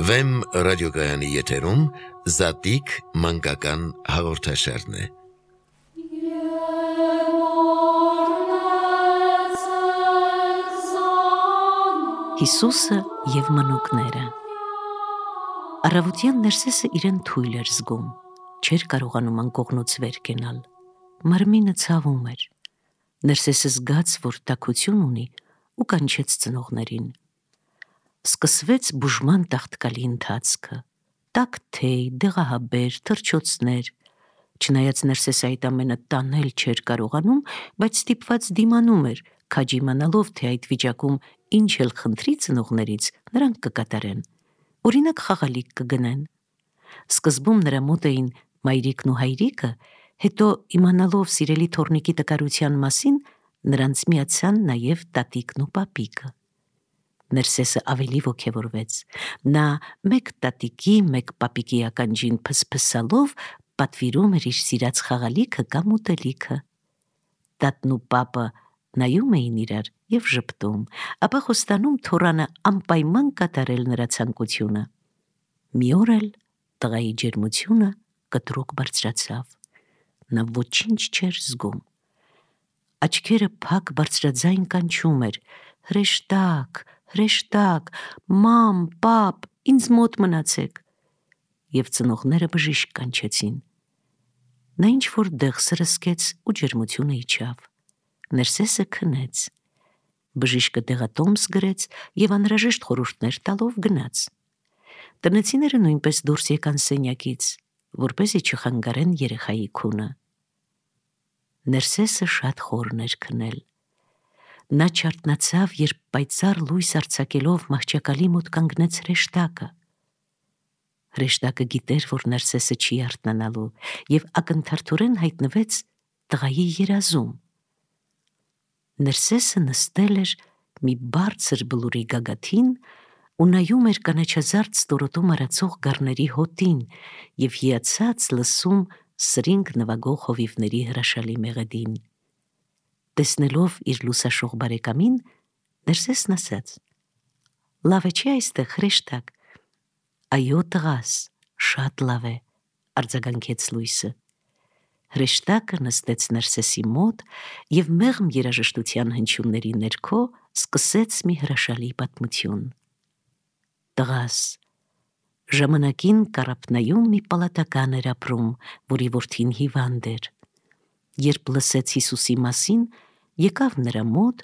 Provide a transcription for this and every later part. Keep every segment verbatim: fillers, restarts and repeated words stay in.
Վեմ ռադիոգայանի եթերում Զատիկ մանկական հաղորդաշարն է։ Հիսուսը և մանուկները։ Առավոտյան Ներսեսը իրեն թույլ էր զգում, չէր կարողանում անկողնուց վեր կենալ, մարմինը ցավում էր։ Ներսեսը զգաց, որ տաքություն ունի ու կանչեց ծնողներին։ Սկսվեց բուժման տաղտկալի ընթացքը, տաք թեյ, դեղահաբեր, թռչոցներ։ Չնայած Ներսեսը այդ ամենը տանել չէր կարողանում, բայց ստիպված դիմանում էր, քաջ իմանալով, թե այդ վիճակում ինչ էլ խնդրի ծնողներից, նրանք կկատարեն, օրինակ խաղալիք կգնեն։ Սկզբում նրա մոտ էին մայրիկն ու հայրիկը, հետո իմանալով սիրելի թոռնիկի տկարության մասին, նրանց միացան նաև տատիկն ու պապիկը։ Ներսեսը ավելի ոգևորվեց, նա մեկ տատիկի, մեկ պապիկի ականջին փսփսալով պատվիրում էր իր սիրած խաղալիքը կամ ուտելիքը։ Տատն ու պապը նայում էին իրար և ժպտում, ապա խոստանում թոռանը անպայման կատարել նրա ցանկությունը։ Մի օր էլ տղայի ջերմությունը կտրուկ բարձրացավ, նա ոչինչ չէր զգում։ Աչքերը փակ բարձրաձայն կանչում էր. հրեշտակ, հրեշտակ, մամ, պապ, ինձ մոտ մնացեք։ Եվ ծնողները բժիշկ կանչեցին։ Նա ինչ-որ դեղ սրսկեց ու ջերմությունը իջավ։ Ներսեսը քնեց։ Բժիշկը դեղատոմս գրեց և անհրաժեշտ խորհուրդներ տալով գնաց։ Տնեցիները նույնպես դուրս եկան սենյակից, որպեսզի չխանգարեն երեխայի քունը։ Ներսեսը շատ խորն էր քնել։ Նա չարթնացավ, երբ պայծառ լույս արձակելով մահճակալի մոտ կանգնեց հրեշտակը։ Հրեշտակը գիտեր, որ Ներսեսը չի արթնանալու, և ակնթարթորեն հայտնվեց տղայի երազում։ Ներսեսը նստել էր մի բարձր բլուրի գագաթին ու նայում էր կանաչազարդ ստորոտում արածող գառների հոտին և հիացած լսում սրինգ նվագող հովիվների հրաշալի մեղեդին։ Տեսնելով իր լուսաշող բարեկամին, Ներսեսն ասաց. «Լավ է չի այստեղ, հրեշտակ»։ «Այո, տղաս, շատ լավ է», արձագանքեց լույսը։ Հրեշտակը նստեց Ներսեսի մոտ և մեղմ երաժշտության հնչյունների ներքո սկսեց մի հրաշալի պատմություն։ «Տղաս, ժամանակին Կարապնայում մի պալատական էր ապրում, որի որդին հիվանդ էր։ Երբ լսեց Հիսուսի մասին, եկավ նրա մոտ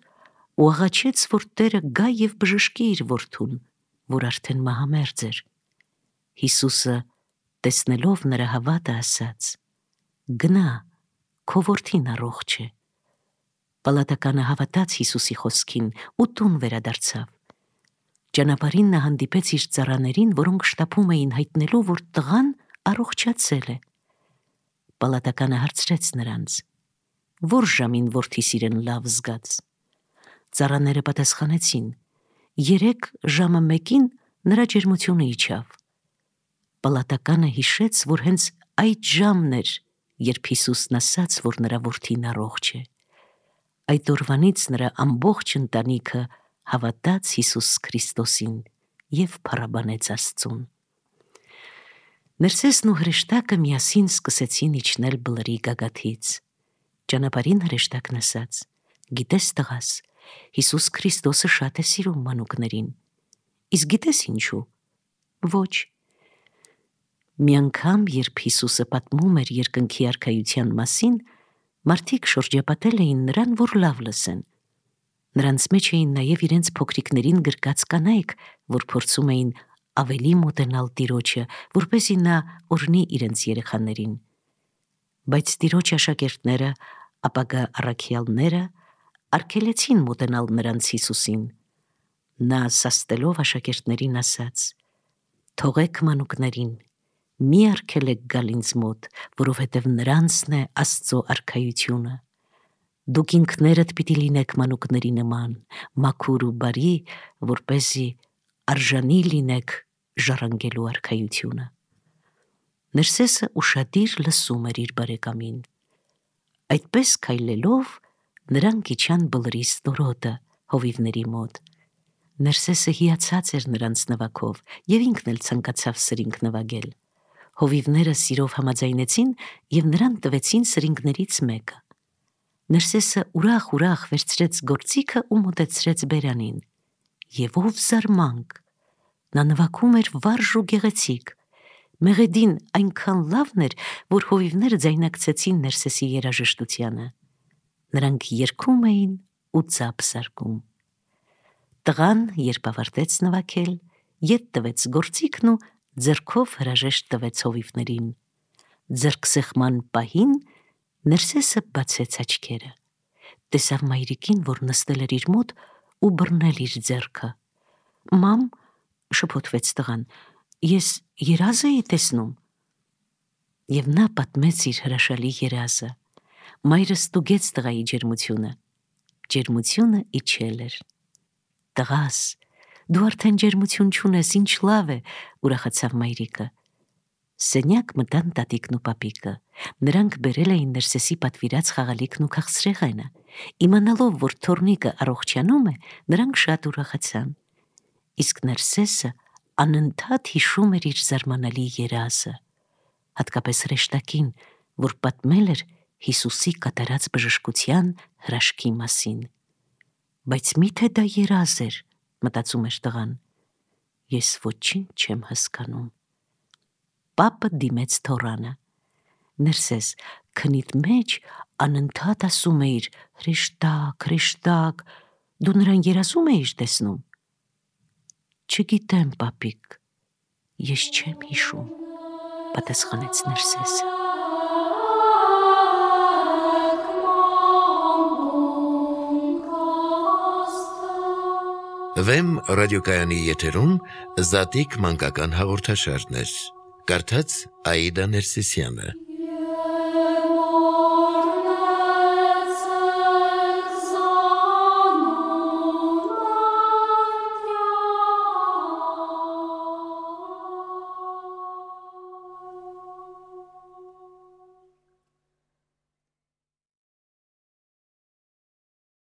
ու աղաչեց, որ Տերը գա և բժշկի իր որդուն, որ արդեն մահամերձ էր։ Հիսուսը, տեսնելով նրա հավատը, ասաց. «Գնա, քո որդին առողջ է»։ Պալատականը հավատաց Հիսուսի խոսքին ու տուն վերադարձավ։ Ճանապարհին նա հանդիպեց իր ծառաներին, որոնք շտապում էին հայտնելու, որ տղան առողջացել է։ Պալատականը հարցրեց նրանց. «Որ ժամին որդիս իրեն լավ զգաց»։ Ծառաները պատասխանեցին. «Երեկ ժամը մեկին նրա ջերմությունը իջավ»։ Պալատականը հիշեց, որ հենց այդ ժամն էր, երբ Հիսուսն ասաց, որ նրա որդին առողջ է։ Այդ օրվանից նրա ամբողջ ընտանիքը հավատաց Հիսուս Քրիստոսին և փառաբանեց Աստծուն։ Ներսեսն ու հրեշտակը միասին սկսեցին իջնել բլրի գագաթից։ Ճանապարհին հրեշտակն ասաց. «Գիտես, տղաս, Հիսուս Քրիստոսը շատ է սիրում մանուկներին։ Իսկ գիտես ինչու»։ «Ոչ»։ Մի անգամ, երբ Հիսուսը պատմում էր երկնքի արքայության մասին, մարդիկ շրջապատել էին նրան, որ լավ լսեն։ Նրանց մեջ էին նաև իրենց փոքրիկներին գրկած կանայք, որ փորձում էին ավելի մոտենալ Տիրոջը, որպեսզի նա օրհնի իրենց երեխաներին։ Բայց Տիրոջ աշակերտները, ապագա առաքյալները արգելեցին մոտենալ նրանց Հիսուսին։ Նա սաստելով աշակերտներին ասաց. «Թողեք մանուկներին, մի արգելեք գալ ինձ մոտ, որովհետև նրանցն է Աստծո արքայությունը։ Դուք ինքներդ պիտի լինեք մանուկների նման, մաքուր ու բարի, որպեսզի արժանի լինեք ժառանգելու արքայությունը»։ Ներսեսը ուշադիր լսում էր իր բարեկամին։ Այդպես քայլելով նրանք իջան բլրի ստորոտը հովիվների մոտ։ Ներսեսը հիացած էր նրանց նվագով և ինքն էլ ցանկացավ սրինգ նվագել։ Հովիվները սիրով համաձայնեցին և նրան տվեցին սրինգներից մեկը։ Ներսեսը ուրախ-ուրախ վերցրեց գործիքը ու մոտեցրեց բերանին։ Եվ ով զարմանք, նա նվագում էր վարժ ու գեղեցիկ։ Մեղեդին այնքան լավն էր, որ հովիվները ձայնակցեցին Ներսեսի երաժշտությանը։ Նրանք երգում էին ու ծափ զարկում։ Տղան, երբ ավարտեց նվագել, ետ տվեց գործիքն ու ձեռքով հրաժեշտ տվեց հովիվներին։ Ձեռքսեղման պահին Ներսեսը բացեց աչքերը։ Տեսավ մայրիկին, որ նստել էր իր մոտ ու բռնել իր ձեռքը։ «Մամ», շփոթվեց տղան, «ես երազ էի տեսնում»։ Եվ նա պատմեց իր հրաշալի երազը։ Մայրը ստուգեց տղայի ջերմությունը։ Ջերմությունը իջել էր։ «Տղաս, դու արդեն ջերմություն չունես, ինչ լավ է», ուրախացավ մայրիկը։ Սենյակ մտան տատիկն ու պապիկը։ Նրանք բերել էին Ներսեսի պատվիրած խաղալիքն ու քաղցրեղենը։ Իմանալով, որ թոռնիկը առողջանում է, նրանք շատ ուրախացան։ Իսկ Ներսեսը անընդհատ հիշում էր իր զարմանալի երազը, հատկապես հրեշտակին, որ պատմել էր Հիսուսի կատարած բժշկության հրաշքի մասին։ Բայց միթե դա երազ էր, մտածում էր տղան։ Ես ոչինչ չեմ հասկանում։ Պապը դիմեց թոռանը։ Ներսես, քնիդ մեջ անընդհատ ասում էիր «հրեշտակ, հրեշտակ», դու նրան երազում էիր տեսնում։ Չգիտեմ, պապիկ, ես չեմ հիշում, պատասխանեց Ներսեսը։ Վեմ ռադիոկայանի եթերում Զատիկ մանկական հաղորդաշարներ։ Կարդաց Աիդա Ներսիսյանը։